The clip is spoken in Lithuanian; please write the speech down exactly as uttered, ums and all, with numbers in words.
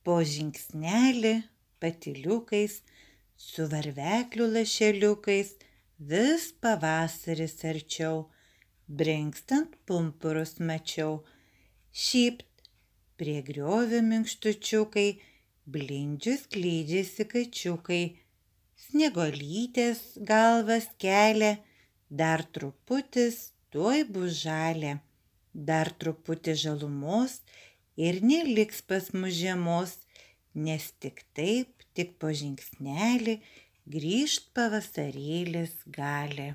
po žingsnelį patyliukais, su varveklių lašeliukais, vis pavasaris arčiau, brinkstant pumpurus mačiau. Šypt, prie griovio minkštučiukai, blindžius klydžiasi kačiukai, sniegolytės galvas kelia, dar truputis tuoj bus žalia, dar truputis žalumos ir neliks pas mus žiemos, nes tik taip, tik po žingsnelį grįžt pavasarėlis gali.